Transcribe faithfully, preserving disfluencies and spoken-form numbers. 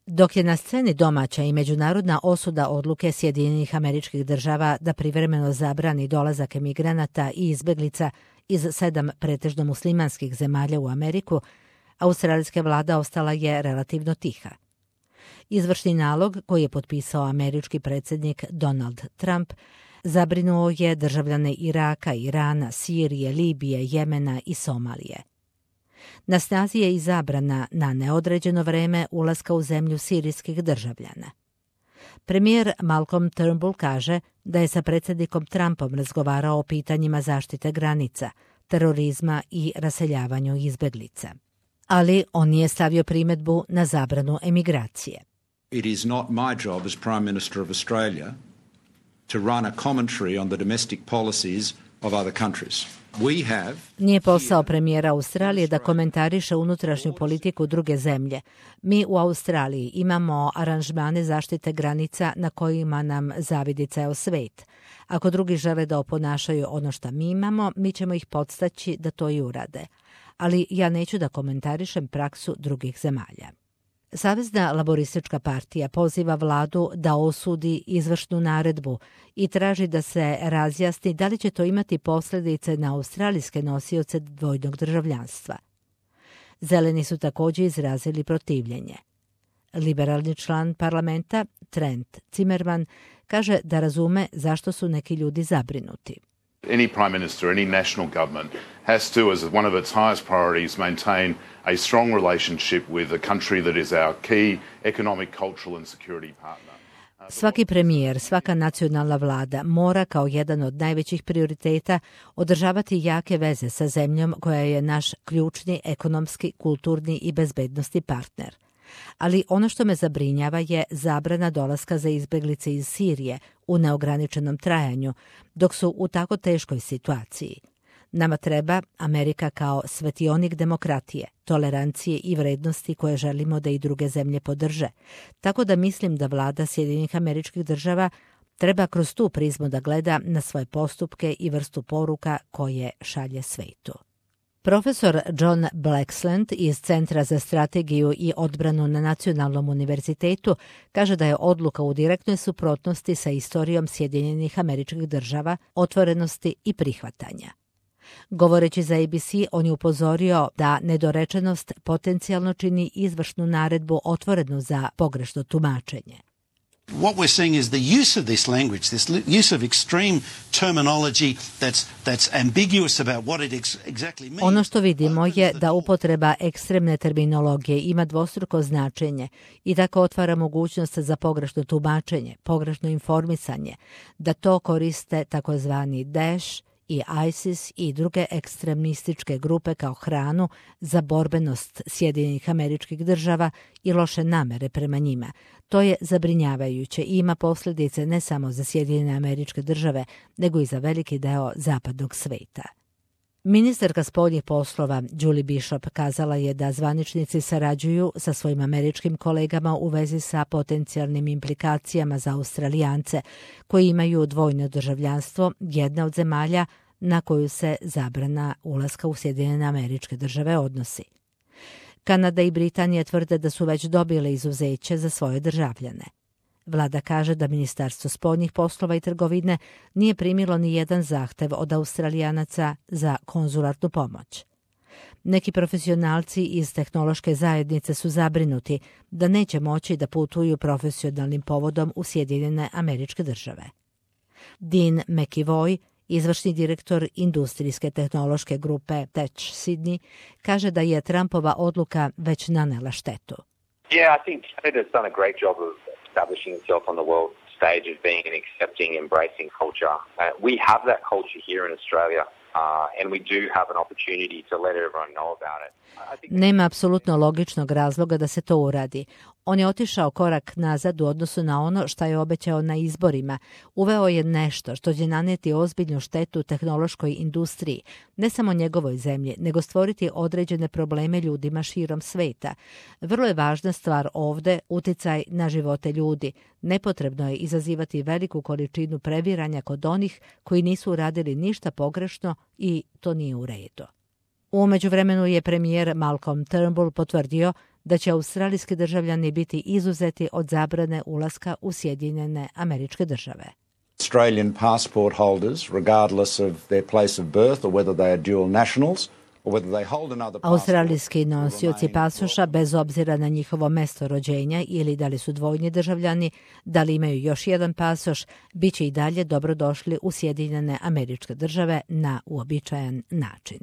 Dok je na sceni domaća i međunarodna osuda odluke Sjedinjenih Američkih Država da privremeno zabrani dolazak emigranata i izbeglica iz sedam pretežno muslimanskih zemalja u Ameriku, australijska vlada ostala je relativno tiha. Izvršni nalog koji je potpisao američki predsjednik Donald Trump zabrinuo je državljane Iraka, Irana, Sirije, Libije, Jemena i Somalije. Na snazi je i zabrana na neodređeno vreme ulaska u zemlju sirijskih državljana. Premijer Malcolm Turnbull kaže da je sa predsjednikom Trumpom razgovarao o pitanjima zaštite granica, terorizma i raseljavanju izbeglica. Ali on nije stavio primjedbu na zabranu emigracije. It is not my job as Prime Minister of Australia to run a commentary on the domestic policies of other countries. We have... Nije posao premijera Australije da komentariše unutrašnju politiku druge zemlje. Mi u Australiji imamo aranžmane zaštite granica na kojima nam zavidi ceo svet. Ako drugi žele da oponašaju ono što mi imamo, mi ćemo ih podstaći da to i urade. Ali ja neću da komentarišem praksu drugih zemalja. Savezna laboristička partija poziva vladu da osudi izvršnu naredbu i traži da se razjasni da li će to imati posljedice na australijske nosioce dvojnog državljanstva. Zeleni su također izrazili protivljenje. Liberalni član parlamenta Trent Zimmerman kaže da razume zašto su neki ljudi zabrinuti. Any prime minister, any national government has to, as one of its highest priorities, maintain a strong relationship with a country that is our key economic, cultural and security partner. Svaki premijer, svaka nacionalna vlada mora kao jedan od najvećih prioriteta održavati jake veze sa zemljom koja je naš ključni ekonomski, kulturni i bezbednosni partner. Ali ono što me zabrinjava je zabrana dolaska za izbeglice iz Sirije u neograničenom trajanju, dok su u tako teškoj situaciji. Nama treba Amerika kao svetionik demokratije, tolerancije i vrednosti koje želimo da i druge zemlje podrže. Tako da mislim da vlada Sjedinjenih Američkih Država treba kroz tu prizmu da gleda na svoje postupke i vrstu poruka koje šalje svetu. Profesor John Blaxland iz Centra za strategiju i odbranu na Nacionalnom univerzitetu kaže da je odluka u direktnoj suprotnosti sa istorijom Sjedinjenih Američkih Država, otvorenosti i prihvatanja. Govoreći za A B C, on je upozorio da nedorečenost potencijalno čini izvršnu naredbu otvorenu za pogrešno tumačenje. What we're seeing is the use of this language, this use of extreme terminology that's that's ambiguous about what it ex- exactly means. Ono što vidimo je da upotreba ekstremne terminologije ima dvostruko značenje i tako otvara mogućnost za pogrešno tumačenje, pogrešno informisanje, da to koriste takozvani Daesh i ISIS i druge ekstremističke grupe kao hranu za borbenost Sjedinjenih Američkih Država i loše namere prema njima. To je zabrinjavajuće i ima posljedice ne samo za Sjedinjene Američke Države, nego i za veliki deo zapadnog sveta. Ministarka spoljnih poslova Julie Bishop kazala je da zvaničnici sarađuju sa svojim američkim kolegama u vezi sa potencijalnim implikacijama za Australijance koji imaju dvojno državljanstvo, jedna od zemalja na koju se zabrana ulaska u Sjedinjene Američke Države odnosi. Kanada i Britanija tvrde da su već dobile izuzeće za svoje državljane. Vlada kaže da Ministarstvo spoljnih poslova i trgovine nije primilo ni jedan zahtev od Australijanaca za konzularnu pomoć. Neki profesionalci iz tehnološke zajednice su zabrinuti da neće moći da putuju profesionalnim povodom u Sjedinjene Američke Države. Dean McEvoy, izvršni direktor industrijske tehnološke grupe Tech Sydney, kaže da je Trumpova odluka već nanela štetu. Yeah, I think Canada's done a great job of establishing itself on the world stage as being an accepting, embracing culture. Uh, we have that culture here in Australia. Uh, and we do have an opportunity to let everyone know about it. Nema apsolutno logičnog razloga da se to uradi. On je otišao korak nazad u odnosu na ono što je obećao na izborima. Uveo je nešto što će naneti ozbiljnu štetu tehnološkoj industriji, ne samo njegovoj zemlji, nego stvoriti određene probleme ljudima širom sveta. Vrlo je važna stvar ovde uticaj na živote ljudi. Nepotrebno je izazivati veliku količinu previranja kod onih koji nisu uradili ništa pogrešno i to nije u redu. U međuvremenu je premijer Malcolm Turnbull potvrdio da će australijski državljani biti izuzeti od zabrane ulaska u Sjedinjene Američke Države. Australian passport holders, regardless of their place of birth or whether they are dual nationals, australijski nosioci pasoša, bez obzira na njihovo mesto rođenja ili da li su dvojni državljani, da li imaju još jedan pasoš, bit će i dalje dobrodošli u Sjedinjene Američke Države na uobičajen način.